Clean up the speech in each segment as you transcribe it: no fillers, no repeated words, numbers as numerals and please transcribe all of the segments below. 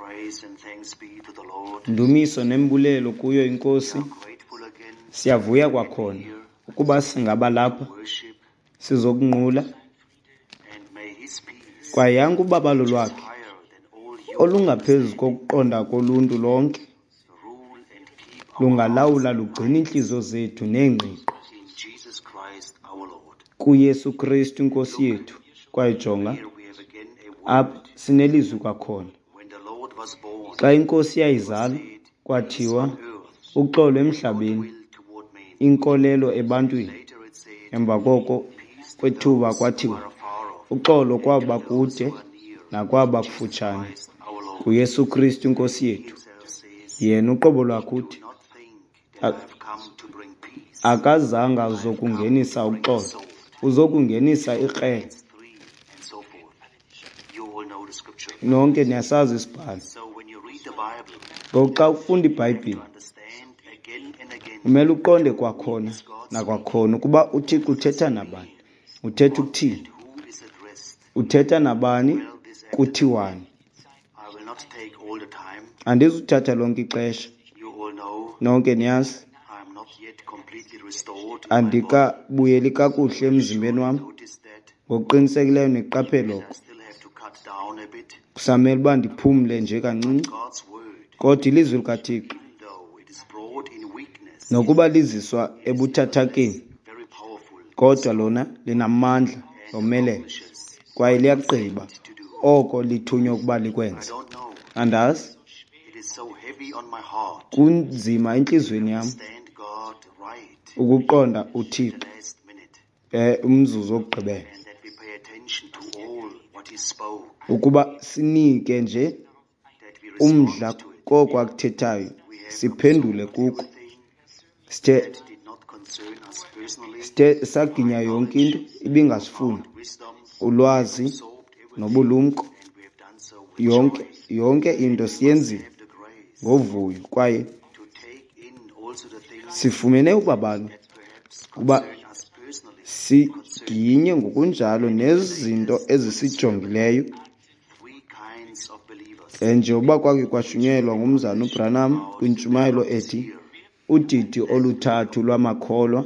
Praise and thanks be to the Lord. Ndumiso nembulelo kuyo iNkosi. We are grateful again Siyavuya kwakhona ukuba singaba lapha worship sizokunqula and may his peace kwaye yanke ubabalo which is lwakhe higher than all human olungaphezu kokuqonda koluntu lonke rule and keep our lungalawula hearts lugcine iintliziyo zethu neengqiqo in Jesus Christ our Lord. kuYesu Kristu iNkosi yethu. Kwaye jonga, Here we have again a word. apha sinelizwi kwakhona. When the Lord was born, Xa iNkosi yayizalwa said, kwathiwa on earth, uxolo emhlabeni, will toward men. inkolelo ebantwini. Later it said, Emva koko peace to kwethuba those who kwathiwa are afar off, uxolo kwaba and to those kude who are near. nakwaba Jesus kufutshane Christ our Lord. kuYesu Kristu iNkosi yethu. Himself says, Yena uqobo lwakhe do uthi not think that I have come to bring peace. akazange azokungenisa uxolo, uzokungenisa ikrele. 3 and so forth. You all know the scripture. Nonke niyasazi isibhalo. So when you read the Bible, Ngoku xa ufunda you iBhayibhile understand again and again umele uqonde kwakhona nakwakhona ukuba uThixo uthetha nabani, uthetha ukuthini, who is addressed. uthetha nabani, Well, this afternoon, kuthiwani. I will not take all the time. Andizuthatha lonke ixesha, You all know nonke niyazi I am not yet completely restored in my body. andikabuyeli kakuhle emzimbeni wam. Notice that Ngokuqinisekileyo niqaphele I oko. still have to cut down a bit. Kusamele uba ndiphumle nje kancinci. God's word, Kodwa ilizwi likaThixo even though it is brought in weakness, nokuba liziswa ebuthathakeni, very powerful kodwa lona linamandla lomelele accomplishes kwaye liyagqiba to do. oko lithunywa ukuba I likwenze. don't know. Andazi, It is so heavy on my heart. kunzima entliziyweni yam Stand God right ukuqonda the uThixo last minute, umzuzu wokugqibela, and that we pay attention to all what He spoke, ukuba sinike nje that we respond umdla to it. koko akuthethayo, We have siphendule absorbed kuko. everything Sithe that did not concern us personally, sithe saginya yonke into ibingasifuni, found wisdom, ulwazi absorbed everything, nobulumko, and we have done so with yonke joy. yonke into siyenzile Have the grace ngovuyo kwaye to take in also the things sifumene ubabalo that perhaps ukuba concern us personally, siginye ngokunjalo nezinto ezisijongileyo. three kinds of believers. Njengoba kwake kwashunyelwa ngumzana uBranham kwintshumayelo ethi udidi oluthathu lwamakholwa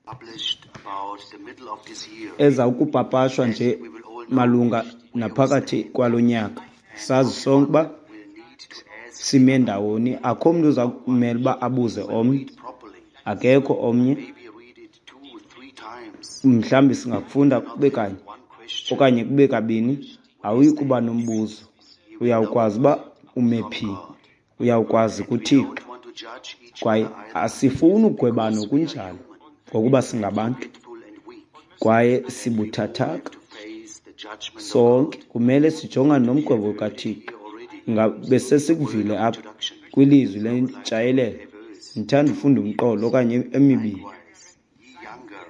Published about the middle of this year. eza ukupapashwa nje We will all know malunga naphakathi kwalo nyaka. Sazi sonke uba we'll need to ask sime ndawoni, akho mntu uza kumele uba abuze omnye, properly. akekho omnye. Maybe read it 2 or 3 times. Mhlawumbi singakufunda kube kanye One question okanye kube kabini, awuyi kuba nombuzo. Uyawukwazi uba ume phi, uyawukwazi We kuThixo. don't want to judge each Kwaye other either. asifuni ugwebana okunjalo ngokuba singabantu Forgetful and weak. kwaye sibuthathaka. To face the judgment of Sonke kumele sijongane nomgwebo kaThixo. here already. Ngabe sesikuvile apha kwilizwi lentshayelelo. Ndithanda ufunda umqolo okanye emibini. Likewise, ye younger,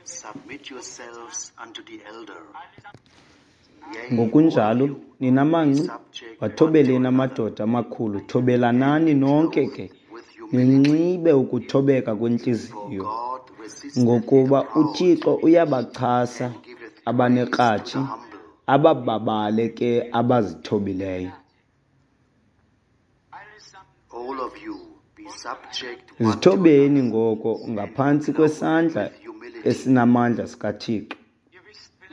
submit yourselves unto the elder. Yea, all of Ngokunjalo you, nina manci subject one to wathobeleni another amadoda amakhulu, thobelanani nonke ke, with humility. ninxibe ukuthobeka For kwentliziyo, God resisteth the ngokuba proud uThixo uyabachasa and giveth grace to the abanekratshi, humble. abababale ke abazithobileyo. All of you be subject one to Zithobeni another ngoko and ngaphantsi clothed kwesandla with humility. esinamandla sikaThixo.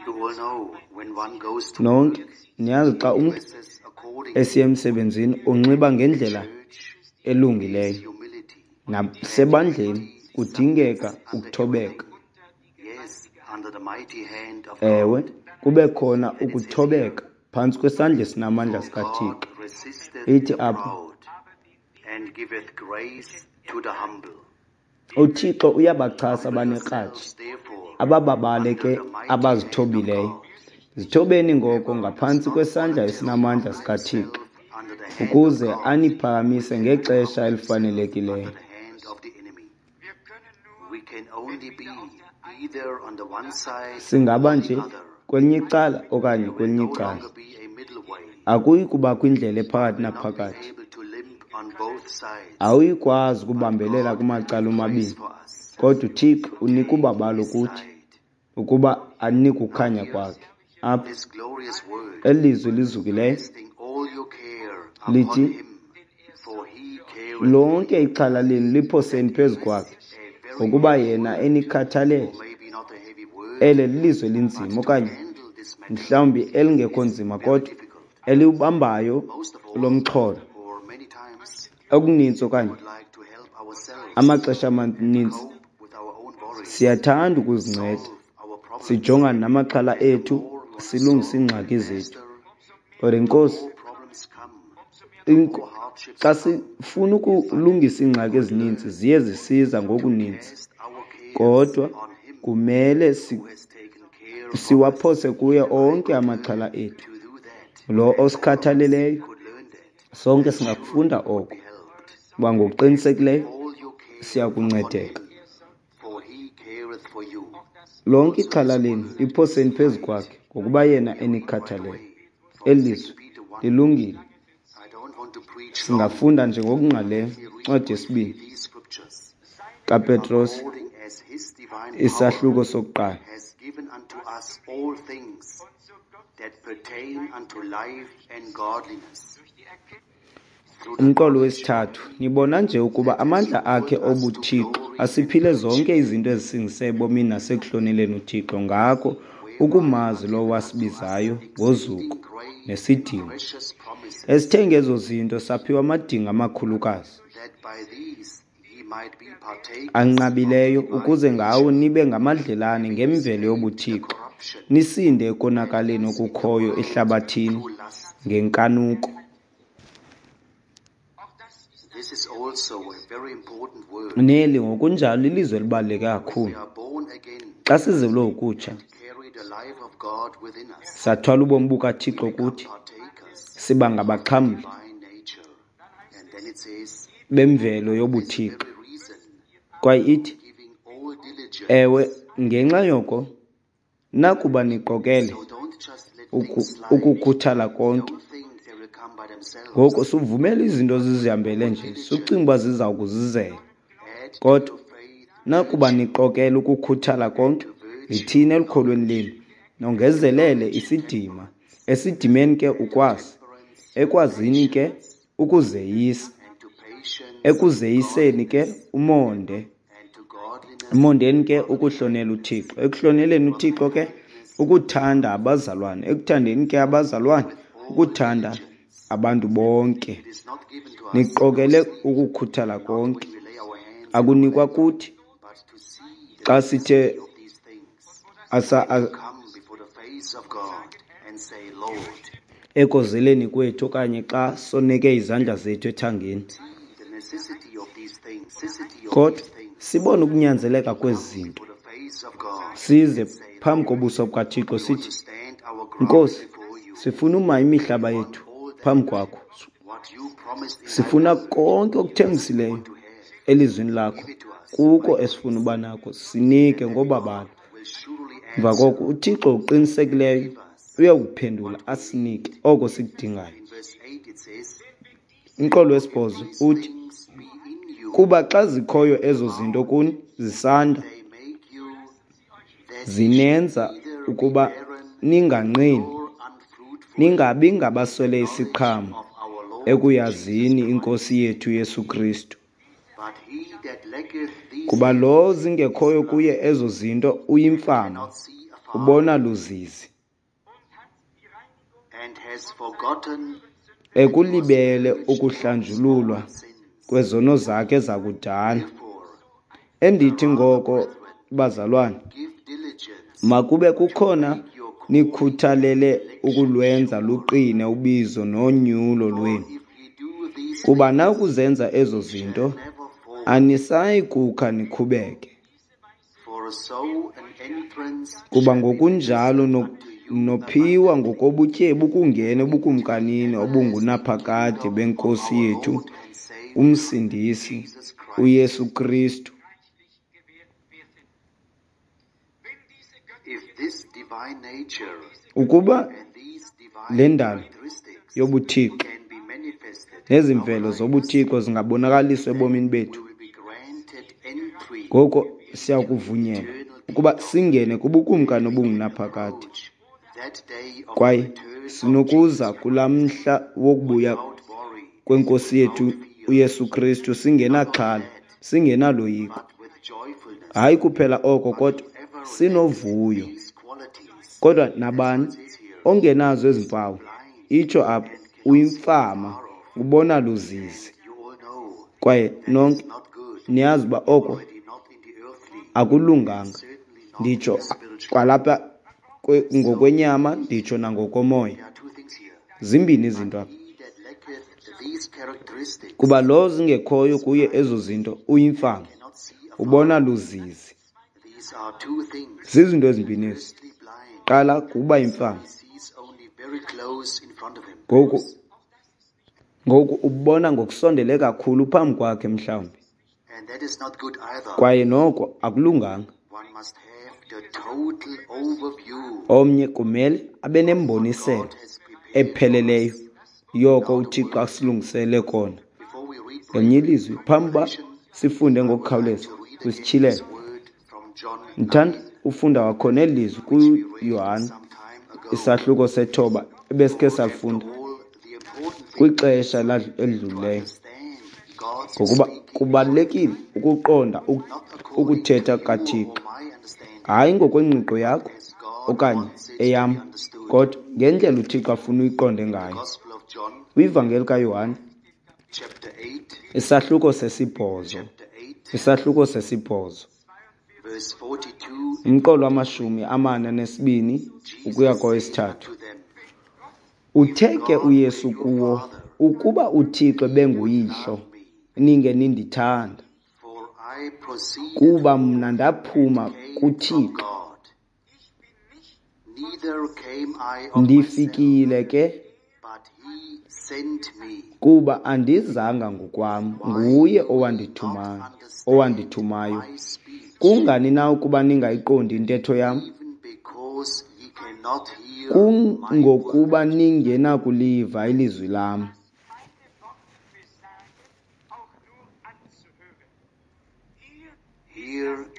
You all know when one goes to Nonke work, niyazi xa he umntu dresses accordingly. esiya emsebenzini unxiba ngendlela Church is elungileyo. humility. Nasebandleni Humility kudingeka submits under ukuthobeka. everything. Yes, under the mighty hand of Ewe, God. kube khona And it says here, ukuthobeka phantsi kwesandla esinamandla For sikaThixo. God resisteth Ithi the apha, proud and giveth grace to the humble. uThixo uyabachasa Humble abanekratshi, yourselves therefore abababale under ke the mighty hand of abazithobileyo. God. Zithobeni ngoko Whoever does ngaphantsi not kwesandla voluntarily esinamandla humble sikaThixo, himself under the hand of ukuze God aniphakamise will ngexesha humble himself under elifanelekileyo. the hand of the enemy. We can only be either on the one side Singaba or the nje other. kwelinye icala okanye There will kwelinye no icala. longer be a middle way. Akuyi kubakho indlela We ephakathi will not be naphakathi. able to limp on both sides. Awuyi kwazi But ukubambelela God kumacala giveth grace omabini, for us kodwa uThixo to unika take ubabalo his kuthi side. ukuba anike Now ukukhanya here, kwakhe. Apha this glorious word, eli lizwi lizukileyo casting all your care Lithi, lonke ixhala lenu liphoseni phezu kwakhe, ngokuba yena enikhathalele. Ele lilizwi elinzima, okanye mhlawumbi elingekho nzima, kodwa eliwubambayo lo mxholo. Okuninzi okanye amaxesha amaninzi siyathanda ukuzinceda, sijongane namaxhala ethu, silungise iingxaki zethu. Kodwa inkosi, xa sifuna ukulungisa iingxaki ezininzi ziye zisiza ngokuninzi, kodwa kumele siwaphose kuye onke amaxhala ethu, lo osikhathaleleyo. Sonke singakufunda oko, uba ngokuqinisekileyo siyakuncedeka. Lonke ixhala lenu liphoseni phezu kwakhe, ngokuba yena enikhathalele. Eli lizwi lilungile. Singafunda nje ngokungqalileyo incwadi yesibini kaPetros, isahluko sokuqala. Umqolo wesithathu, nibona nje ukuba amandla akhe obuthixo asiphile zonke izinto ezisingise ebomini nasekuhloneleni uThixo, ngako ukumazi lowo wasibizayo ngozuko nesidima. Esithe ngezo zinto saphiwa amadinga amakhulukazi anqabileyo, ukuze ngawo nibe ngamadlelane ngemvelo yobuthixo, nisinde ekonakaleni okukhoyo ehlabathini ngenkanuko. Neli ngokunjalo lilizwi elibaluleke kakhulu. Xa sizelwe ukutsha, sathwala ubomi bukaThixo kuthi, siba ngabaxhamli bemvelo yobuthixo. Kwaye ithi, ewe, ngenxa yoko, nakuba niqokele ukukhuthala konke, ngoko suvumela izinto zizihambele nje, sucinga uba ziza kuzizela. Kodwa nakuba niqokele ukukhuthala konke, yithini elukholweni lenu, nongezelele isidima, esidimeni ke ukwazi, ekwazini ke ukuzeyisa, ekuzeyiseni ke umonde, emondeni ke ukuhlonela uThixo, ekuhloneleni uThixo ke ukuthanda abazalwane, ekuthandeni ke abazalwane ukuthanda abantu bonke. Niqokele ukukhuthala konke. Akunikwa kuthi xa sithe asa ekozeleni kwethu okanye xa soneke izandla zethu ethangeni, kodwa sibone ukunyanzeleka kwezi zinto, size phambi kobuso bukaThixo sithi, Nkosi, sifuna uma imihlaba yethu phambi kwakho, sifuna konke okuthembisileyo elizwini lakho, kuko esifuna uba nako, sinike ngobabalo. Emva koko uThixo uqinisekileyo uyakuphendula asinike oko sikudingayo. Umqolo wesibhozo uthi, kuba xa zikhoyo ezo zinto kuni zisanda, zinenza ukuba ninganqini, ningabi ngabaswele isiqhamo ekuyazini iNkosi yethu Yesu Kristu. Kuba lo zingekhoyo kuye ezo zinto uyimfama, ubona luzizi, ekulibele ukuhlanjululwa kwezono zakhe zakudala. Endithi ngoko, bazalwane, makube kukhona nikhuthalele ukulwenza luqine ubizo nonyulo lwenu. Kuba nakuzenza ezo zinto, anisayi kukha nikhubeke. Kuba ngokunjalo nophiwa ngokobutyebi ukungena ebukumkanini obungunaphakade beNkosi yethu uMsindisi uYesu Kristu. Ukuba le ndalo yobuthixo nezi mvelo zobuthixo zingabonakaliswa ebomini bethu, ngoko siya kuvunyelwa ukuba singene kubukumkani obungunaphakade. Kwaye sinokuza kulaa mhla wokubuya kweNkosi yethu uYesu Kristu singenaxhala, singenaloyiko. Hayi kuphela oko, kodwa sinovuyo. Kodwa nabani ongenazo ezi mpawu, itsho apha, uyimfama, ubona luzizi. Kwaye nonke niyazi uba oko akulunganga, nditsho kwalapha ngokwenyama, nditsho nangokomoya. Zimbini izinto apha. Kuba lo zingekhoyo kuye ezo zinto uyimfama, ubona luzizi. Zizinto ezimbini ezi. Qala kuba yimfama. Ngoku ubona ngokusondele kakhulu phambi kwakhe mhlawumbi. Kwaye noko akulunganga. Omnye kumele abe nemboniselo epheleleyo yoko uThixo asilungisele kona. Ngelinye ilizwi, phambi uba sifunde ngokukhawuleza kwisityhilelo, ndithanda ufunda kwakhona eli lizwi kuYohane isahluko 9 ebesikhe salifunda kwixesha elidlulileyo, ngokuba kubalulekile ukuqonda ukuthetha kaThixo, hayi ngokwengqiqo yakho okanye eyam, kodwa ngendlela uThixo afuna uyiqonde ngayo. KwiVangeli kaYohane isahluko 8, isahluko 8, umqolo wa-42 ukuya kowesi-3. Uthe ke uYesu kuwo, ukuba uThixo benguyihlo, ninge nindithanda, kuba mna ndaphuma kuThixo. Ndifikile ke, kuba andizanga ngokwam, nguye owandithumayo. Kungani na ukuba ningayiqondi intetho yam? Kungokuba ningenakuliva ilizwi lam.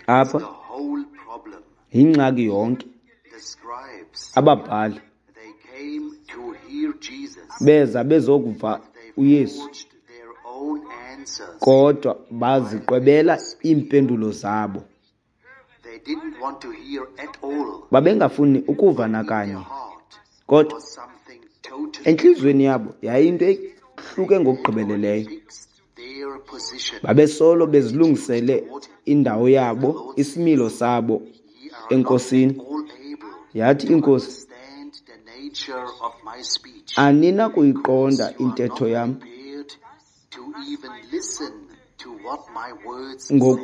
Apha yingxaki yonke. Ababhali beza bezokuva uYesu, kodwa baziqwebela iimpendulo zabo. Babengafuni ukuva nakanye, kodwa entliziyweni yabo yayinto ehluke ngokugqibeleleyo. Babesolo bezilungisele indawo yabo, isimilo sabo eNkosini. Yathi iNkosi, aninakuyiqonda intetho yam,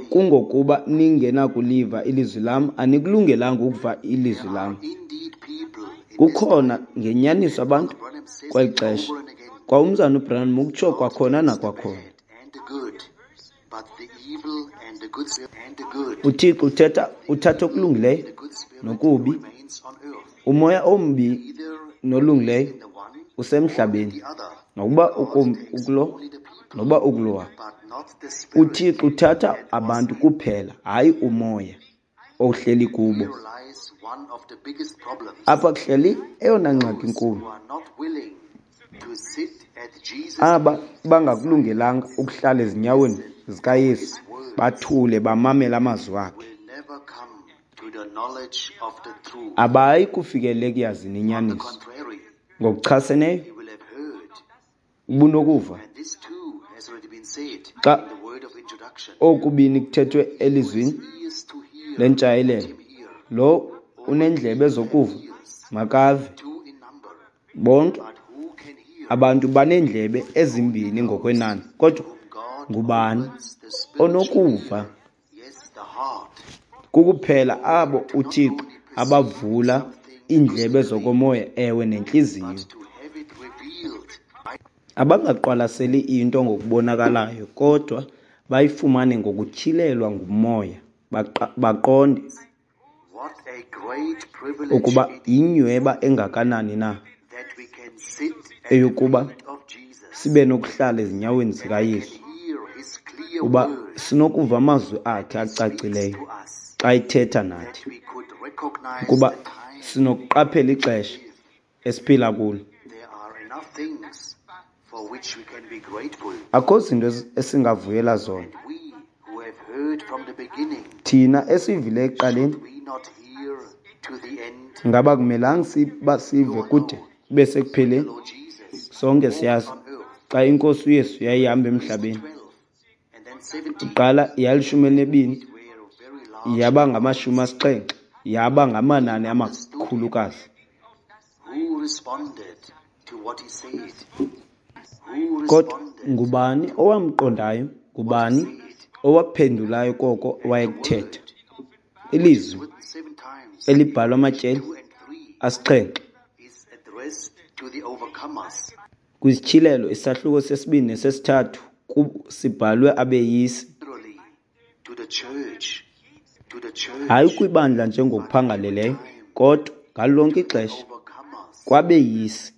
kungokuba ningenakuliva ilizwi lam, anikulungelanga ukuva ilizwi lam. Kukhona ngenyaniso abantu kweli xesha. Kwa umzana uBranham ukutsho kwakhona nakwakhona. UThixo uthatha okulungileyo nokubi, umoya ombi nolungileyo usemhlabeni, nokuba ukulo noba ukulowa. UThixo uthatha abantu kuphela, hayi umoya ohleli kubo. Apha kuhleli eyona ngxaki inkulu. Aba bangakulungelanga ukuhlala ezinyaweni zikaYesu, bathule bamamele amazwi akhe, abayi kufikelela ekuyazini inyaniso. Ngokuchaseneyo, ubunokuva xa okubini kuthethwe elizwini lentshayelelo, lo unendlebe zokuva makave. Bonke abantu baneendlebe ezimbini ngokwenani, kodwa ngubani onokuva? Kukuphela abo uThixo abavula iindlebe zokomoya, ewe, nentliziyo, abangaqwalaseli into ngokubonakalayo, kodwa bayifumane ngokutyhilelwa ngumoya, baqonde ukuba yinyweba engakanani na eyokuba sibe nokuhlala ezinyaweni zikaYesu, uba sinokuva amazwi akhe acacileyo xa ethetha nathi, ukuba Sinokuqaphela ixesha esiphila kulo. Akho zinto esingavuyela zona. Thina esivile ekuqaleni, ngaba kumelanga siba sive kude kube sekupheleni? Sonke siyazi xa iNkosi uYesu yayihamba emhlabeni, iqala yalishumi elinebini yaba ngama-70, yaba ngamanani amakhulukazi. Kodwa ngubani owamqondayo? Ngubani owaphendulayo koko wayekuthetha? Ilizwi elibhalwa amatyeli 7 KwiSityhilelo isahluko sesibini nesesithathu sibhalwe abeyisi. Hayi kwibandla njengokuphangaleleyo, kodwa ngalo lonke ixesha kwabeyisi.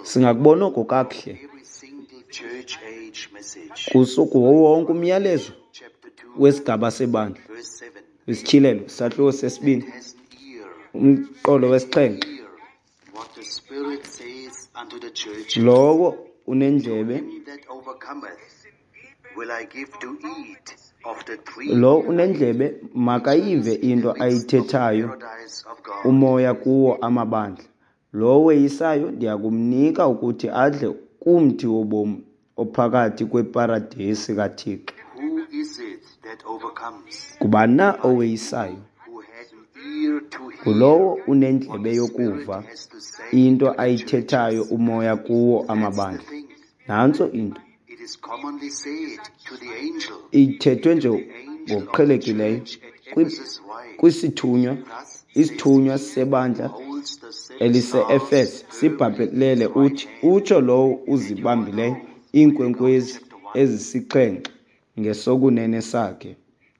Singakubona oko kakuhle kuwo wonke umyalezo wesigaba sebandla. ISityhilelo isahluko sesibini, umqolo wesixhenxe. Lowo unendlebe, lowo unendlebe makayive into ayithethayo uMoya kuwo amabandla. Lowo weyisayo ndiya kumnika ukuthi adle kumthi wobomi ophakathi kweparadesi kaThixo. Ngubani na oweyisayo? Ngulowo unendlebe yokuva into ayithethayo uMoya kuwo amabandla. Nantso into. Ithethwe nje ngokuqhelekileyo kwisithunywa, isithunywa sebandla elise-Efese sibhabhelele uthi, utsho lowo uzibambileyo iinkwenkwezi ezisixhenxe ngesokunene sakhe,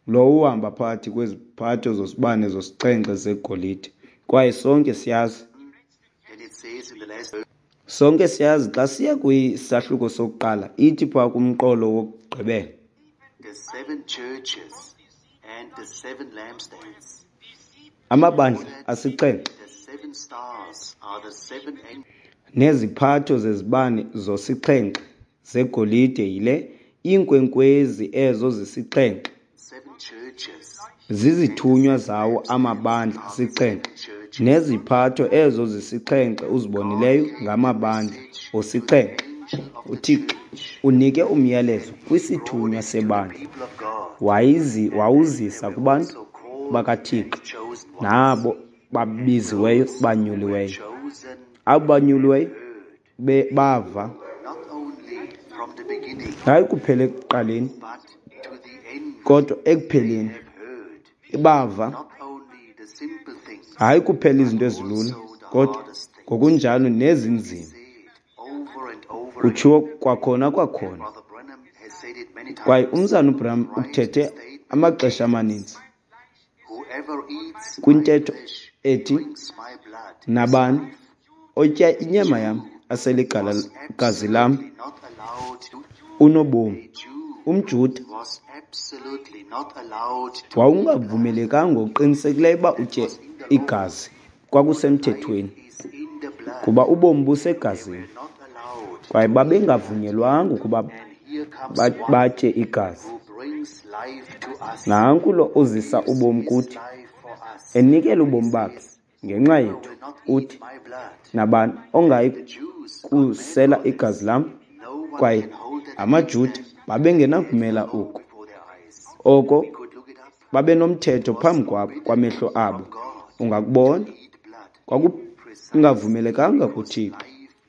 lowo uhamba phakathi kweziphatho zosibane zosixhenxe zegolide. Kwaye sonke siyazi. Sonke siyazi xa siya kwisahluko sokuqala, ithi phaa kumqolo wokugqibela. Amabandla asixhenxe neziphatho zezibane zosixhenxe zegolide yile, iinkwenkwezi ezo zisixhenxe zizithunywa zawo amabandla asixhenxe, neziphatho ezo zisixhenxe uzibonileyo ngamabandla osixhenxe. UThixo unike umyalezo kwisithunywa sebandla, wawuzisa kubantu bakaThixo nabo babiziweyo banyuliweyo. Abo banyuliweyo bava, hayi kuphela ekuqaleni, kodwa ekupheleni bava, hayi kuphela izinto ezilula, kodwa ngokunjalo nezinzima. Kutshiwo kwakhona kwakhona, kwaye umzana uBranham ukuthethe amaxesha amaninzi kwintetho ethi, nabani otya inyama yam asele igazi lam unobomi. UmJuda wawungavumelekanga ngokuqinisekileyo uba utye igazi, kwakusemthethweni, kuba ubomi busegazini, kwaye babengavunyelwanga ukuba batye igazi. Nanku lo uzisa ubomi kuthi, enikela ubomi bakhe ngenxa yethu, uthi, nabani ongayi kusela igazi lam. Kwaye amaJuda babengenakumela oku, oko babenomthetho phambi kwamehlo abo. Ungakubona, kwakungavumelekanga kuThixo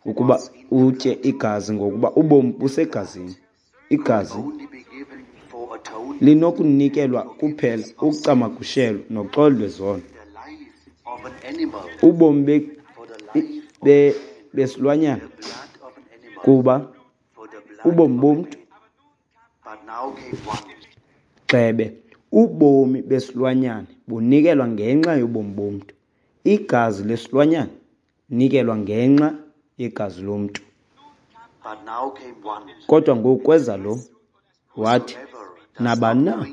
ukuba utye igazi, ngokuba ubomi busegazini. Igazi linokunikelwa kuphela ukucamagushelwa noxolo lwezono. Ubomi besilwanyana, kuba ubomi bomntu, gxebe, ubomi besilwanyana bunikelwa ngenxa yobomi bomntu. Igazi lesilwanyana nikelwa ngenxa yegazi lomntu. Kodwa ngoku kweza lo, wathi, nabani na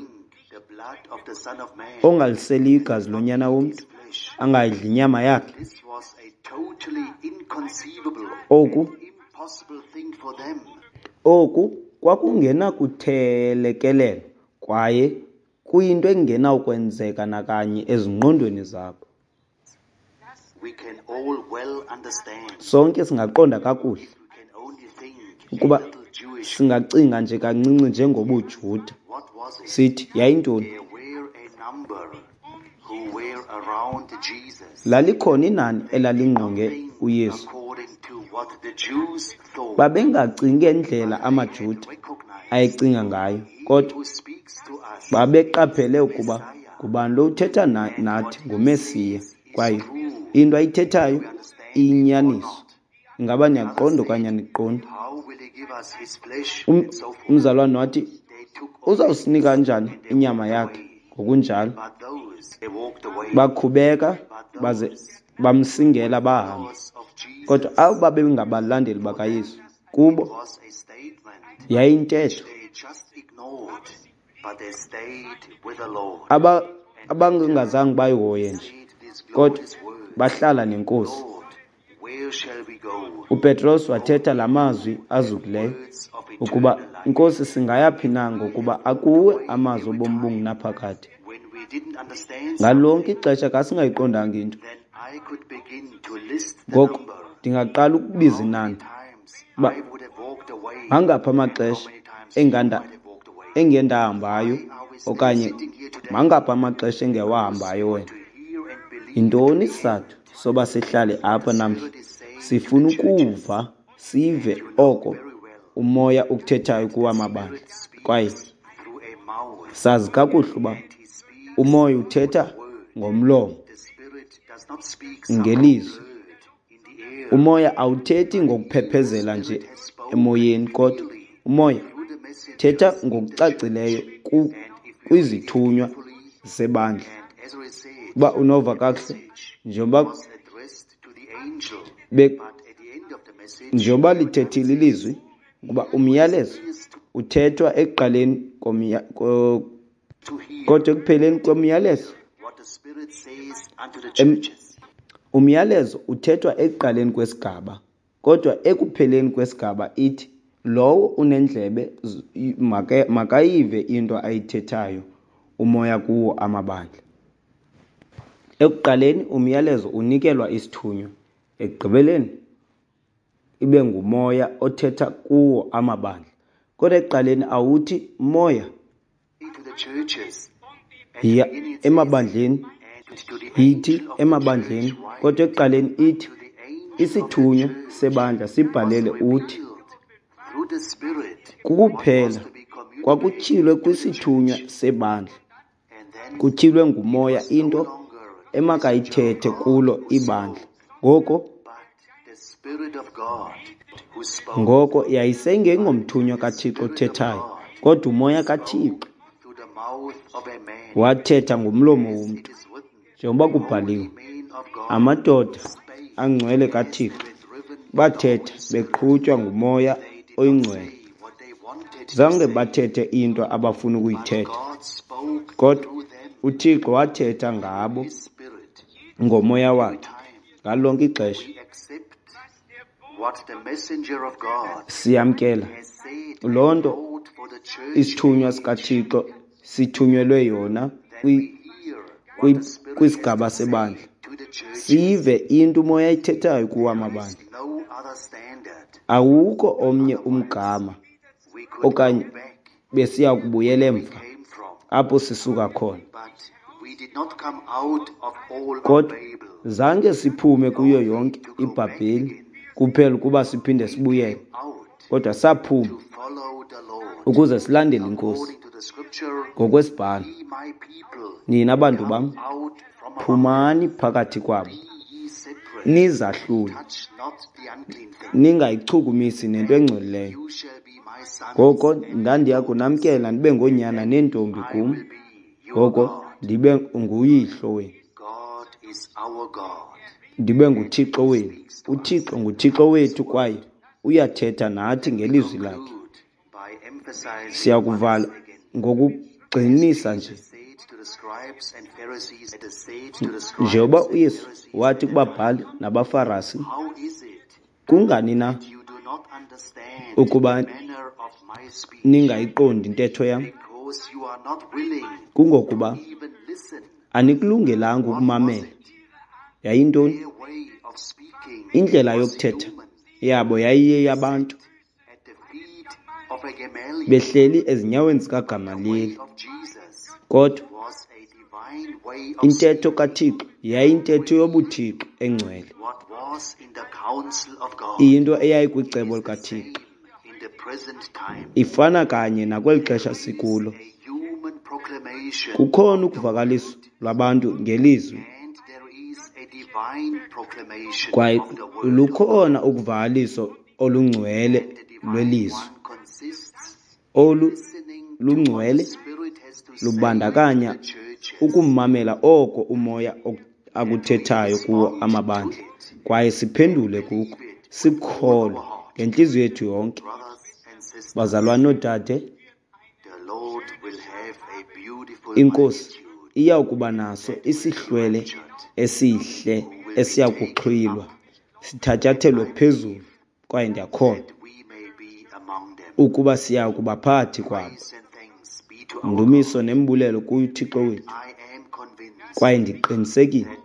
Ongaliseliyo igazi loNyana womntu, angayidli inyama yakhe. Oku kwakungenakuthelekelelwa kwaye kuyinto engenakwenzeka nakanye ezingqondweni zabo. Sonke singaqonda kakuhle ukuba singacinga nje kancinci njengobuJuda, sithi yayintoni? Lalikhona inani elalingqonge uYesu. Babengacingi ngendlela amaJuda ayecinga ngayo, kodwa babeqaphele ukuba ngubani lo uthetha nathi nguMesiya, kwaye into ayithethayo iyinyaniso. Ingaba niyaqonda okanye aniqondi? Umzalwane wathi, uzawusinika njani inyama yakhe? Ngokunjalo bakhubeka baze bamsingela bahamba. Kodwa abo babengabalandeli bakaYesu, kubo yayintetho abangazange bayihoye nje, kodwa bahlala neNkosi. UPetros wathetha la mazwi azukileyo ukuba, Nkosi, singaya phi na, ngokuba akuwe amazwi obomi obungunaphakade. Ngalo lonke ixesha xa singayiqondanga into, ngoko ndingaqala ukubiza inani uba mangaphi amaxesha engendahambayo okanye mangaphi amaxesha engewahambayo wena. Yintoni isizathu soba sihlale apha namhla? Sifuna ukuva, sive oko uMoya ukuthethayo kuwa mabandla. Kwaye sazi kakuhle uba uMoya uthetha ngomlomo, ngelizwi. Umoya awuthethi ngokuphephezela nje emoyeni, kodwa uMoya uthetha ngokucacileyo kwizithunywa zebandla. Uba unova kakuhle, njengoba lithethile ilizwi ukuba umyalezo uthethwa ekuqaleni kodwa ekupheleni komyalezo, umyalezo uthethwa ekuqaleni kwesigaba, kodwa ekupheleni kwesigaba ithi lowo unendlebe makayive into ayithethayo uMoya kuwo amabandla. Ekuqaleni umyalezo unikelwa isithunywa, ekugqibeleni ibe nguMoya othetha kuwo amabandla. Kodwa ekuqaleni awuthi Moya yiya emabandleni, yithi emabandleni, kodwa ekuqaleni ithi isithunywa sebandla sibhalele uthi. Kukuphela kwakutyhilwe kwisithunywa sebandla, kutyhilwe nguMoya into emakayithethe kulo ibandla. Ngoko yayisengengomthunywa kaThixo othethayo, kodwa uMoya kaThixo wathetha ngomlomo womntu. Njengoba kubhaliwe, amadoda angcwele kaThixo bathetha beqhutywa nguMoya oyiNgcwele. Zange bathethe into abafuna ukuyithetha, kodwa uThixo wathetha ngabo ngoMoya wakhe ngalo lonke ixesha. Siyamkela loo nto isithunywa sikaThixo sithunyelwe yona kwisigaba sebandla. Sive into uMoya ayithethayo kuwo amabandla. Awukho omnye umgama okanye besiya kubuyela emva apho sisuka khona. Kodwa zange siphume kuyo yonke iBhabheli kuphela ukuba siphinde sibuyele, kodwa saphuma ukuze silandele iNkosi ngokwesibhalo. Nina bantu bam, phumani phakathi kwabo, nizahlule, ningayichukumisi nento engcolileyo. Ngoko ndandiya kunamkela nibe ngoonyana neentombi kum, ngoko ndibe nguyihlo wenu, ndibe nguThixo wenu. UThixo nguThixo wethu kwaye uyathetha nathi ngelizwi lakhe. Siyakuvala ngokugxinisa nje Njengoba uYesu wathi kubabhali nabaFarisi, kungani na ukuba ningayiqondi intetho yam? Kungokuba anikulungelanga ukumamela. Yayintoni? Indlela yokuthetha yabo yayiyeyabantu, behleli ezinyaweni zikaGamaliyeli. Kodwa intetho kaThixo yayiyintetho yobuthixo engcwele, iyinto eyayikwicebo likaThixo. Ifana kanye nakweli xesha sikulo. Kukhona ukuvakaliswa lwabantu ngelizwi, kwaye lukhona ukuvakaliso olungcwele lwelizwi. Olu lungcwele lubandakanya ukumamela oko uMoya akuthethayo kuwo amabandla, kwaye siphendule kuko, sikukholwe ngentliziyo yethu yonke. Bazalwane noodade, iNkosi iya kuba naso isihlwele esihle esiya kuxhwilwa, sithatyathelwe phezulu, kwaye ndiyakholwa ukuba siya kuba phakathi kwabo. Ndumiso nembulelo kuye uThixo wethu. Kwaye ndiqinisekile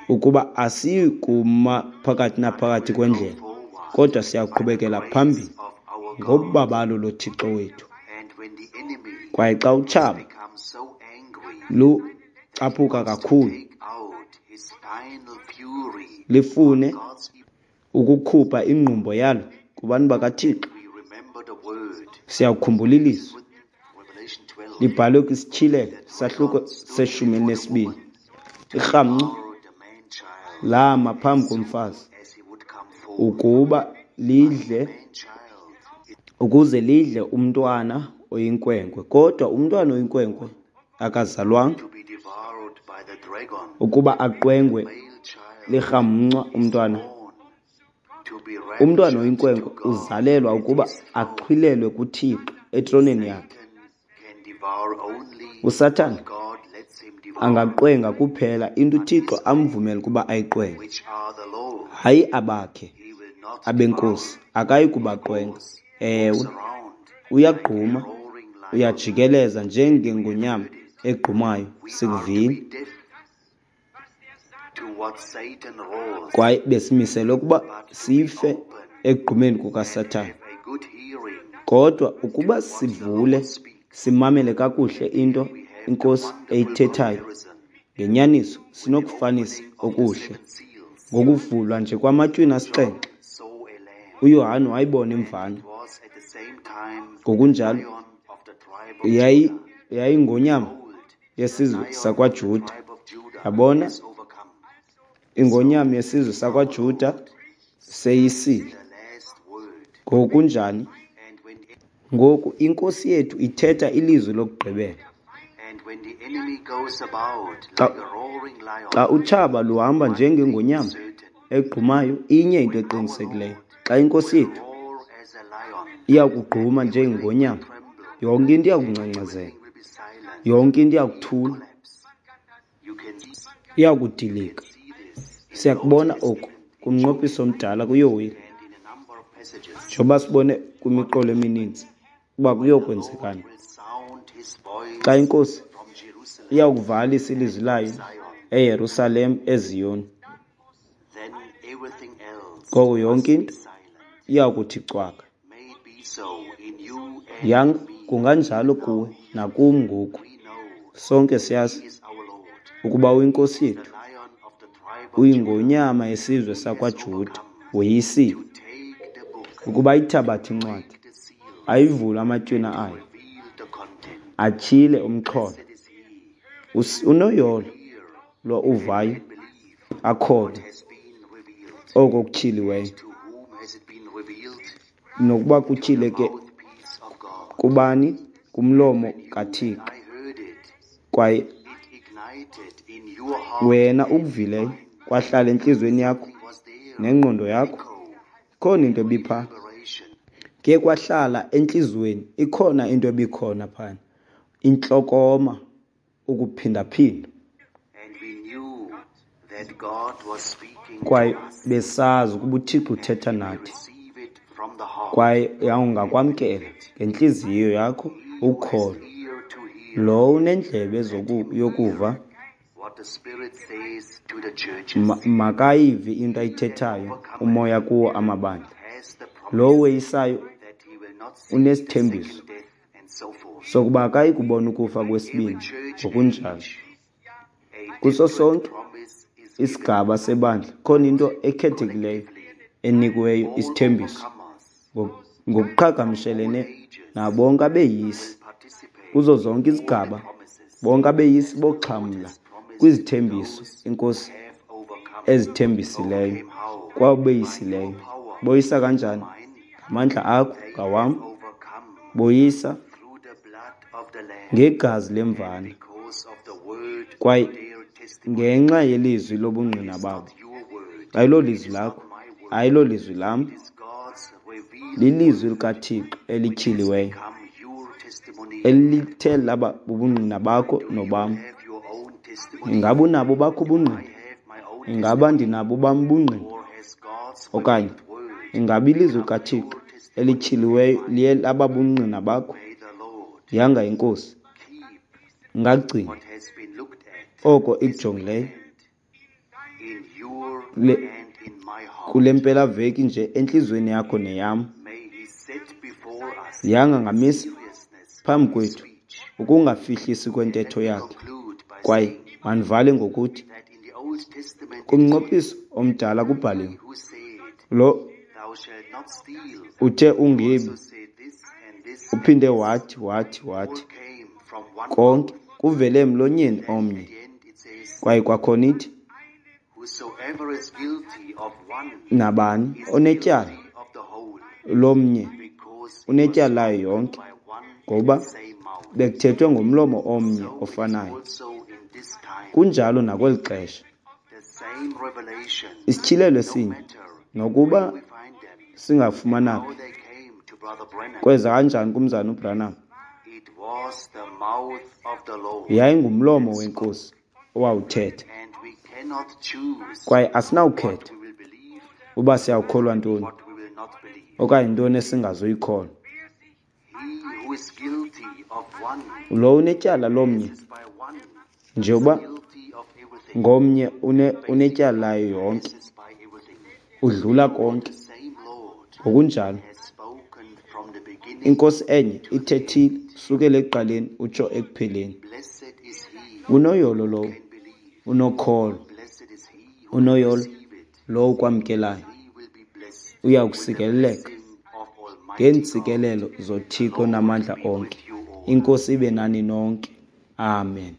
ukuba asiyi kuma phakathi naphakathi kwendlela, kodwa siyaqhubekela phambili ngobabalo loThixo wethu. Kwaye xa utshaba lucaphuka kakhulu, lifune ukukhupha ingqumbo yalo kubantu bakaThixo, siyakukhumbula ilizwi libhalwe kwisityhilelo sahluko se-12. Irhamncwa lama phambi komfazi ukuba lidle, ukuze lidle umntwana oyinkwenkwe, kodwa umntwana oyinkwenkwe akazalwanga ukuba aqwengwe lirhamncwa. Umntwana oyinkwenkwe uzalelwa ukuba axhwilelwe kuThixo etroneni yakhe. USathana angaqwenga kuphela into uThixo amvumela ukuba ayiqwenge, hayi abakhe abenkosi, akayi kubaqwenga. Ewe, uyagquma, uyajikeleza njengengonyama egqumayo, sikuvile. Kwaye besimiselwe ukuba sife ekugqumeni kukaSathana. Kodwa ukuba sivule simamele kakuhle into iNkosi eyithethayo, ngenyaniso sinokufanisa okuhle. Ngokuvulwa nje kwamatywina 7, uYohane wayibona imvana. Ngokunjalo yayingonyama yesizwe sakwaJuda. Yabona, ingonyama yesizwe sakwaJuda seyisile. Ngokunjani? Ngoku iNkosi yethu ithetha ilizwi lokugqibela. Xa utshaba luhamba njengengonyama egqumayo, inye into eqinisekileyo. Xa iNkosi yethu iyakugquma njengengonyama, yonke into iyakungcangcazela, yonke into iyakuthula, iyakudilika. Siyakubona oku kumnqophiso omdala kuYoweli, njengoba sibone kwimiqolo emininzi uba kuyokwenzekani xa iNkosi iyakuvalisa ilizwi layo eYerusalem, eZiyoni. Ngoko yonke into iyakuthi cwaka. Yanga kunganjalo kuwe nakum ngoku. Sonke siyazi ukuba uyiNkosi yethu, uyingonyama yesizwe sakwaJuda, woyisile ukuba ayithabathe incwadi, ayivule amatywina ayo, atyhile umxholo. Unoyolo lo uvayo akholwe oko kutyhiliweyo, nokuba kutyhileke kubani, kumlomo kaThixo. Kwaye wena ukuvileyo kwahlala entliziyweni yakho nengqondo yakho, ikhona into ebipha ke kwahlala entliziyweni, ikhona into ebikhona phana. intlokoma, ukuphindaphinda. Kwaye besazi ukuba uThixo uthetha nathi, kwaye ungakwamkela ngentliziyo yakho ukholo. Lowo unendlebe yokuva, makayive into ayithethayo uMoya kuwo amabandla. Lowo weyisayo unesithembiso sokuba akayi kubona ukufa kwesibini, ngokunjalo. Kuso sonke isigaba sebandla khona into ekhethekileyo enikiweyo, isithembiso, ngokuqhagamshelene nabonke abeyisi. Kuzo zonke izigaba, bonke abeyisi boxhamla kwizithembiso iNkosi ezithembisileyo kwabeyisileyo. Boyisa kanjani? Ngamandla akho, ngawam. Boyisa ngegazi lemvana kwaye ngenxa yelizwi lobungqina babo. Ayilolizwi lakho, ayilolizwi lam, lilizwi likaThixo elityhiliweyo elithe laba bubungqina bakho nobam. Ingaba unabo bakho ubungqina? Ingaba ndinabo bam ubungqina? Okanye ingaba ilizwi likaThixo elityhiliweyo liye laba bungqina bakho? Yanga iNkosi ingagcina oko ikujongileyo kule mpelaveki nje entliziyweni yakho neyam. Yanga ngamisa phambi kwethu ukungafihlisi kwentetho yakhe. Kwaye mandivale ngokuthi kumnqophiso omdala kubhaliwe, lo uthe ungebi, uphinde wathi, wathi, wathi, konke kuvele emlonyeni omnye. Kwaye kwakhona ithi, nabani onetyala lomnye unetyala layo yonke, ngoba bekuthethwe ngomlomo omnye ofanayo. Kunjalo nakweli xesha. Isityhilelo esinye, nokuba singafumana phi, kweza kanjani kumzana uBranham? Yayingumlomo weNkosi owawuthetha. Kwaye asinawukhetha uba siyawukholwa ntoni okanye ntoni esingazuyikholwa. Lo unetyala lomnye, nje uba ngomnye unetyala layo yonke, udlula konke. Ngokunjalo, iNkosi enye ithethile sukela ekuqaleni utsho ekupheleni. Unoyolo lowo unokholo, unoyolo lowo ukwamkelayo, uya kusikeleleka ngeentsikelelo zoThixo namandla onke. INkosi ibe nani nonke. Amen.